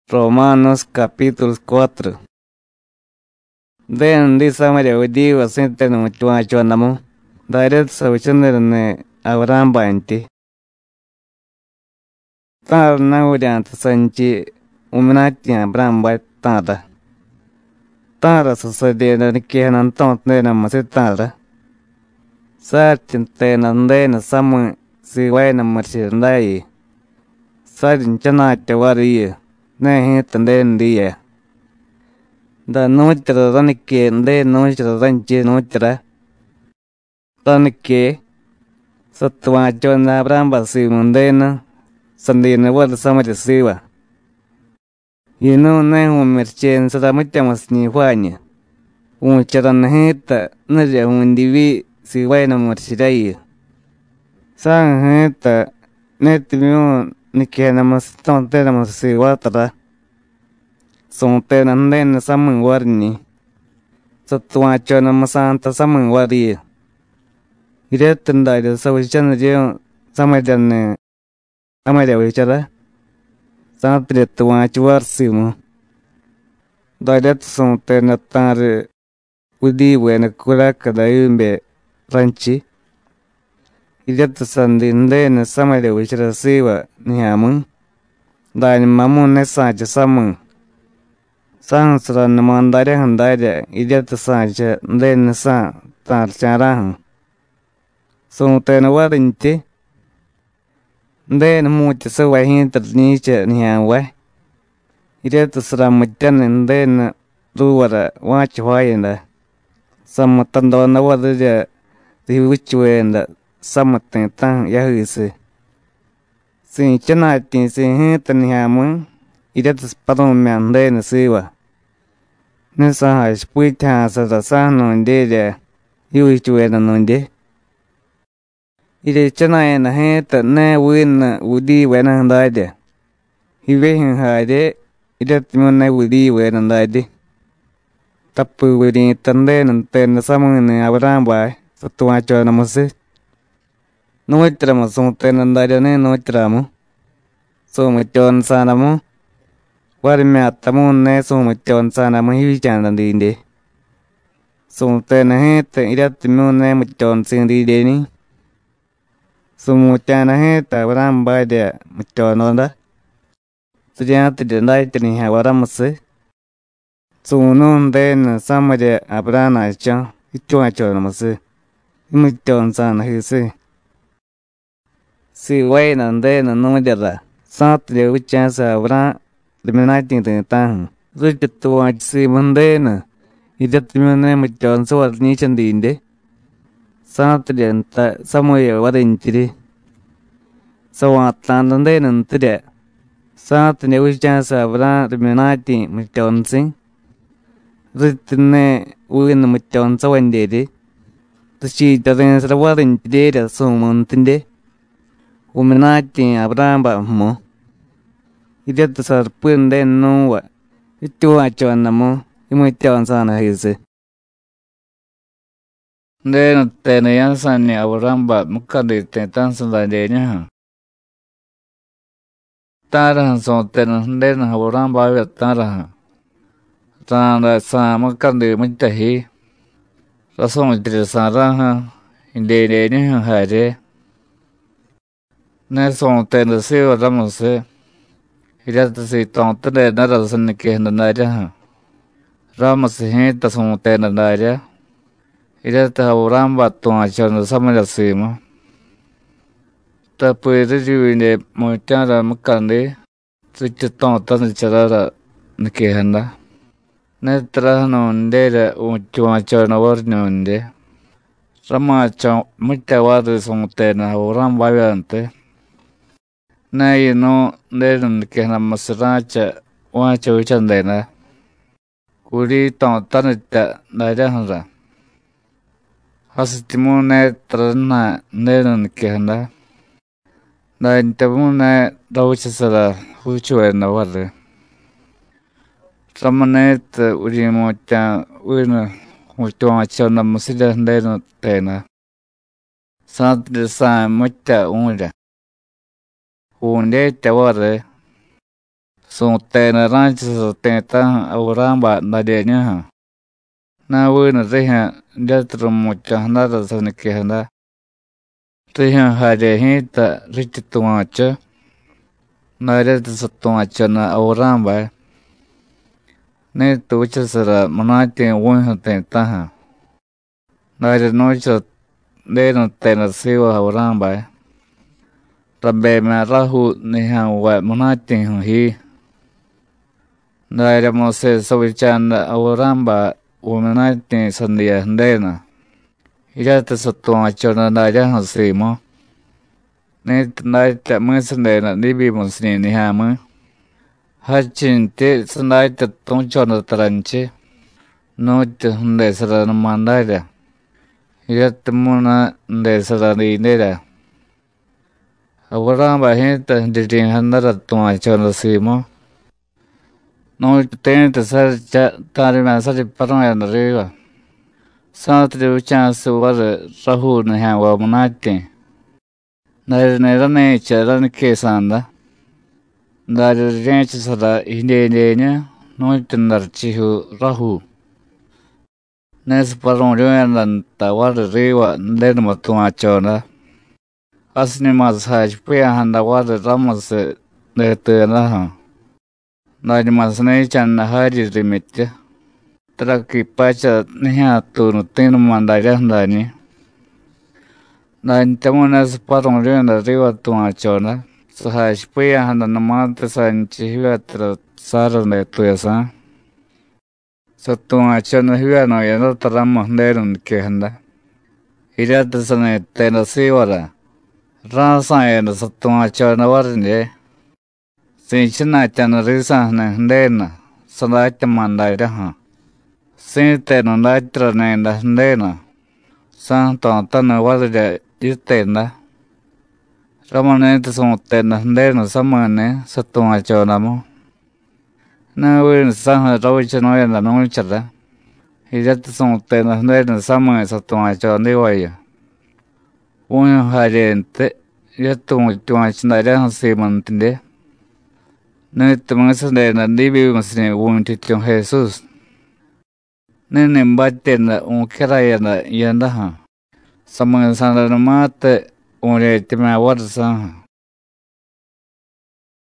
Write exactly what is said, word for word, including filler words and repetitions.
Romanos capítulo cuatro. Den di samaria udiwa sintenu muchuachuanamu. Daret sauchanerne Abraham banti. Tar naurianta sanchi uminati Abraham battada. Tara sucediendo ni que nanton masitara. Sartin tenandena samu si vaina marchindai. Sarin chanate varia. Ne hitanden dia. Da nutra ranike de nutra ranchi nutra. Ranike Satwachona Abraham Simundena Sandina what Samari Siva. You know ne merchen Saramutamas ni Juania. Un charanjeta Naja undivi si vaina marchirai. San heta netimion Nikenamos tontenamos si watara. Son tenanden samun warni. Satuachona santa samun wari. Iretenda de Sawichana Samajan Amadia Wichara. Santre tuachuarsimo. Diret son tenatare Udi when a kuraka da umbe ranchi. Iret sandin Samadia Wichara siwa Nihamun. Dine mamun nesaja samun. Sansran mandare handare iret saja den sa tarcharahan. Son tenawarinti. Den mucha sawahinter niche nihawa. Iret sramutan and den ruwara watch wayenda. Samatandona wadaja the witch wenda samatin tan yahuse. Sin chanatin sin hintan hamun. Iret spadon man den siwa. Nessa spuit has a san on de you wish to end on de. Ide chana and a hand ne win would when and died. He win hide it moon would when and died. Tapu within it and then and then the summon in Abraham by Satuacha. No tramo son ten and died no tramo. So much on Sanamo. What me at the moon ne so much on Sanamo he chan and inde. So ten a head it at the moon name with John Cindy Denny. Sumuchana heta Abraham by the Muchononda. Sujati the night in Havaramuse. So noon then somebody Abraham I chan, Ichuachonamuse. Muchon san he say. See wait and then no other. Saturday which chance Abraham the nineteen the town. Richard to watch see Mundane. He did the name with John so at Nichan the Inde. Saturday and somewhere what in today. So at London then and today. Saturday which chance Abraham the nineteen with Johnson. Written win with John so and daddy. The she doesn't answer what in today so mountain day. Woman nineteen Abraham but more. He did the serpent then no what. It too much on the more. You might tell on Sana his. Then ten yansani Abraham mukandi ten tansan. Tarahan son ten den Abraham tarahan. Tara sa mukandi mutahi. Rason trisaraha in de hare. Nelson ten the silver ramose. He had to see Tonte Narasan and the Naja. Ramos hit the son ten and Naja. Ireta Abraham tuachana samarasima. Tapuiruine Moitara Mukandi, Suchiton Charara Nikehanda. Netrano Ndera Uchuachana Warnunde. Ramacha Mutawadu Sontena Abraham Valiante. Nay no Neran Kehana Masaracha Wacha Uchandena. Kuri Tontanita Nairahara. Hasitimune trana neran kehanda. Naintamune dauchasara huchuena wale. Ramanet urimocha uina huchuachana musida nena tena. Santre san mucha unra. Unde taware. Suŋtena ra̱cha ti̱ta̱ju̱ Abrahamba daryeñuju̱. Na̱vinu rijyu̱ jiryatiy ru̱mutya̱jadara saniquejada. Rijyu̱ jarye ji̱ta rityi tuva̱chu, daryatiy satuva̱choda Abrahambay. Ni̱tiy vichasara munatyi̱ vu̱jyu̱ ti̱ta̱ju̱, daryanu̱chara Ju̱denu jteda siva Abrahambay, rabemya̱ rajuu nijya̱nvay munatyi̱ju̱ ji. Daryamusiy savicha̱da Abrahambay vumynatyi̱ sadiya Ju̱denu, jiryatiy satuva̱choda daryaju̱ simu. Ni̱tiy datya mi̱sadeda dibyimusiñi̱ nijya̱mi̱, jadchintyi sadatya tu̱choda taranchiy, nu̱tyu ju̱desaranuma darya, jiryatiy muna ju̱desara didyerya. Abrahambay ji̱ta jiryiryi̱jadara tuva̱choda simu. Nu̱tyu ti̱tiy saryicha ta̱rimya̱ saryi paru̱yada riva, sa̱tidye vicha̱siy variy rajuu nijya̱nvay munatyi̱, daryani̱ rani̱cha raniquesa̱da, darya rirye̱chasara jidyedyeñu, nu̱tyu ndarchijyuu rajuu. Ne saparu̱ryu̱yada nta variy riva Ju̱denube tuva̱choda, jasiñuma sajachipiya̱jada variy ramusiy detuyedaju̱, dañuma sani̱cha̱da jaryi rimyetyu, taraqui pacha nijya̱tuunu ti̱numa daryaju̱ dañi̱. Dantyamu̱y ne saparu̱ryu̱yada riva tuva̱choda, sajachipiya̱jadanumatiy sanchiy jivyatura Sára detuyesa̱. Satuva̱choda jivyanu̱yadata ramu Ju̱denu niquejada, jiryatiy sani jteda sivara, ra̱sa̱yada satuva̱choda varidye. Si̱chana̱tya̱da risa̱ju̱ni̱ Ju̱denu, sadatyama̱ daryaju̱, si̱tenu datyarani̱da Ju̱denu, sa̱jto̱taniy varirya yiteda. Ramuni̱tiy su̱teda Ju̱denu sami̱ni̱, satuva̱chodamu. Ne vinu saju̱ ravichanu̱yada nu̱chara, jiryatiy su̱teda Ju̱denu sami̱ satuva̱chodivayu. Vu̱jyu̱ jaryentiy, jiryatiy vu̱tyuva̱chu daryaju̱ simuntidye, ni̱tiy mi̱sadeda diibyimusiñi̱ vu̱ntyutyu̱ Jesús. Ni̱ni̱ batyeda vu̱cyarayada jiyadaju̱, sami̱sa̱danumatiy vu̱ryetyemya̱ variy saju̱.